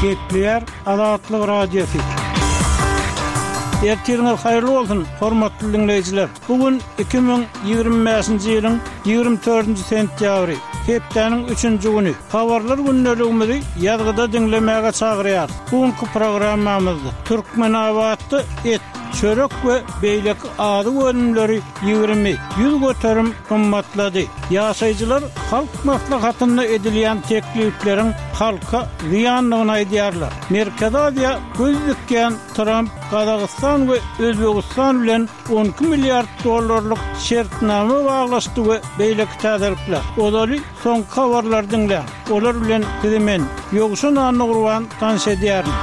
Gepleýär Azatlyk Radiosy. Ertiriňiz haýyrly bolsun, hormatly diňleýjiler! Bu gün 2025-nji ýylyň 24-nji sentýabry, hepdäniň üçünji güni. Habarlar gündeligimizi ýazgyda diňlemäge çagyrýarys. Bu günki programmamyzda Türkmenabatda et, çörek we beýleki azyk önümleri 20, 100% gymmatlady. Ýaşaýjylar Halk Maslahatynda edilýän teklipleriň halka zyýandygyny aýdýarlar. Merkezi Aziýa göz dikýän Tramp Gazagystan we Özbegistan bilen 12 milliard dollarlyk şertnama baglaşdy we beýleki täzelikler. Ozaly soňky habarlary diňläň. Olar bilen sizi men, Ýowşan Annagurban tanyş edýärin.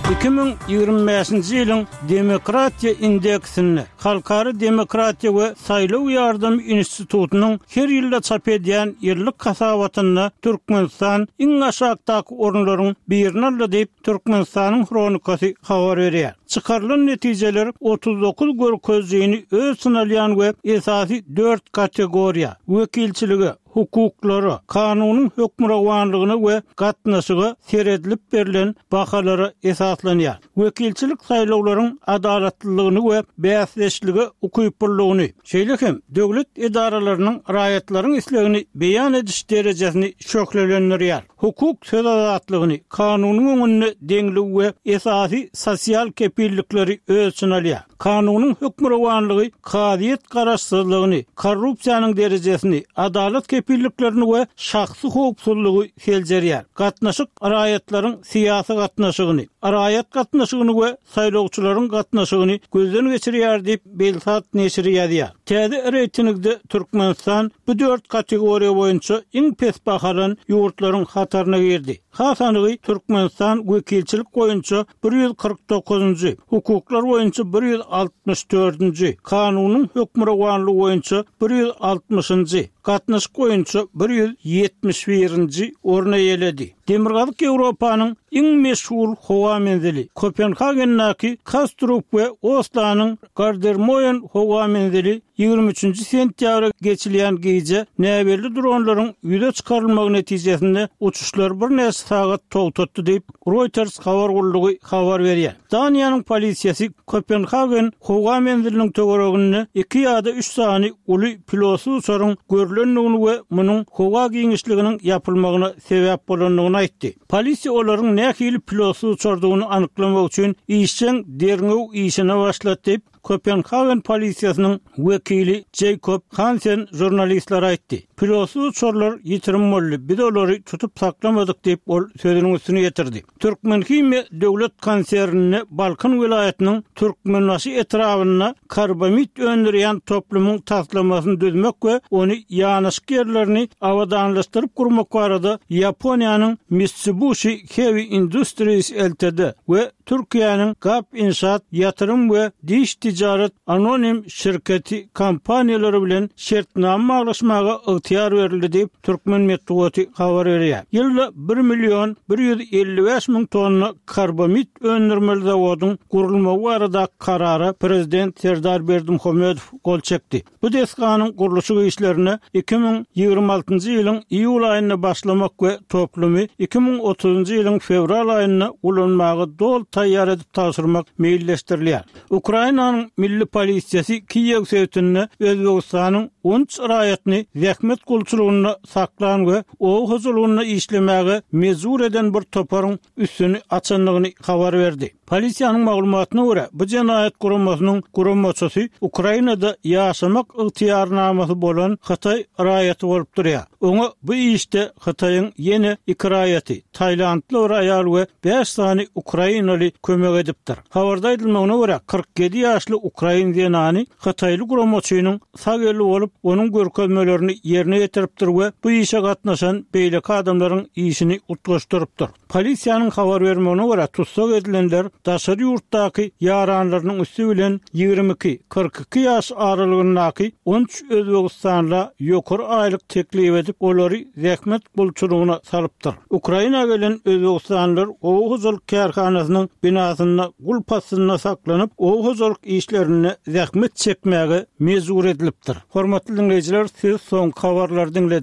2025-nji ýylyň Demokratiýa indeksinde Halkara demokratiýa we saýlaw ýardamy institutynyň her ýylda çap edýän ýyllyk hasabatynda Türkmenistan iň aşakdaky orunlaryň birini aldy diýip, Türkmenistanyň Hronikasy habar berýär. Çykarylan netijeler 39 görkezijini öz içine alýan we esasy dört kategoriýa, wekilçilige, hukuklara, kanunyň hökmürowanlygyna we gatnaşyga seredilip berlen bahalara esaslanýar. Wekilçilik saýlawlaryň adalatlylygyny we bäsdeşlige ukyplylygyny, şeýle hem döwlet edaralarynyň raýatlaryň islegini beýan ediş derejesini şöhlelendirýär. Hukuk söz azatlygyny, kanunyň öňünde deňligi we esasy sosial kepillikleri öz içine alýar. Kanunyň hökmürowanlygy kazyýet garaşsyzlygyny, korrupsiýanyň derejesini, adalat kepilliklerini we şahsy howpsuzlygy seljerýär. Gatnaşyk raýatlaryň syýasy gatnaşygyny, raýat gatnaşygyny we saýlawçylaryň gatnaşygyny gözden geçirýär diýip, Belsat neşiri ýazýar. Täze reýtingde Türkmenistan bu dört kategoriýa boýunça iň pes bahalan ýurtlaryň hataryna girdi. Has anygy, Türkmenistan wekilçilik boýunça 149-njy, hukuklar boýunça 164-nji, kanunyň hökmürowanlygy boýunça 160-njy, gatnaşyk boýunça 171-nji orny eýeledi. Demirgazyk Ýewropanyň iň meşhur howa menzili, Kopenhagendäki Kastrup we Oslanyň Gardermoen howa menzili 23-nji sentýabra geçilýän gije näbelli dronlaryň ýüze çykarylmagy netijesinde uçuşlary birnäçe sagat togtatdy diýip, Reuters habar gullugy habar berýär. Daniýanyň polisiýasy Kopenhagen howa menziliniň töwereginde iki ýa-da üç sany uly pilotsyz uçaryň görlendigini we munuň howa giňişliginiň ýapylmagyna sebäp bolandygyny aýtdy. Polisiýa olaryň nähili pilotsyz uçardygyny anyklamak üçin işjeň derňew işine başlady diýip, Kopenhagen polisiýasynyň wekili Jeýkob Hansen žurnalistlere aýtdy. Pilotsyz uçarlar ýitirim boldy, biz olary tutup saklamadyk diýip, ol sözüniň üstüni ýetirdi. Türkmenhimiýa döwlet konsernine Balkan welaýatynyň Türkmenbaşy etrabynda karbamid öndürýän toplumyň taslamasyny düzmek we ony ýanaşyk ýerlerini abadanlaşdyryp gurmak barada Ýaponiýanyň Mitsubishi Heavy Industries Ltd. We Türkiýäniň Gap Inşaat ýatyrym we diş tijaret anonim şirketi kompaniýalary bilen şertnama baglaşmaga ygtyýar berildi diýip, türkmen metbugaty habar berýär. Ýylda bir million 155 müň tonna karbamid öndürmeli zawodyň gurulmagy baradaky karara prezident Serdar Berdimuhamedow gol çekdi. Bu desganyň gurluşyk işlerine 2026-njy ýylyň iýul aýynda başlamak we toplumy 2030-njy ýylyň fewral aýynda ulanmaga doly taýýar edip tabşyrmak meýilleşdirilýär. Ukrainanyň milli polisiýasy Kiýew sebitinde Özbegistanyň 13 raýatyny zähmet gulçulygynda saklan we oba hojalygynda işlemäge mejbur eden bir toparyň üstüni açandygyny habar berdi. Polisiýanyň maglumatyna görä, bu jenaýat guramasynyň guramaçysy Ukrainada ýaşamak ygtyýarnamasy bolan hytaý raýaty bolup durýar. Oňa bu işde Hytaýyň ýene iki raýaty, taýlandly bir aýal we bäş sany ukrainaly kömek edipdir. Habarda aýdylmagyna görä, 47 ýaşly ukrain zenany hytaýly guramaçynyň sag eli bolup, onuň görkezmelerini ýerine ýetiripdir we bu işe gatnaşan beýleki adamlaryň işini utgaşdyrypdyr. Polisiýanyň habar bermegine görä, tussag edilenler daşary ýurtdaky ýaranlarynyň üsti bilen 22, 42 ýaş aralygyndaky 13 özbegistanla ýokary aýlyk teklip edip, olary zähmet gulçulygyna salypdyr. Ukraina gelen özbegistanlylar oba hojalyk kärhanasynyň binasynda gulp astynda saklanyp, oba hojalyk işlerinde zähmet çekmäge mejbur edilipdir. Hormatly diňleýjiler, siz soňky habarlary diňlediňiz.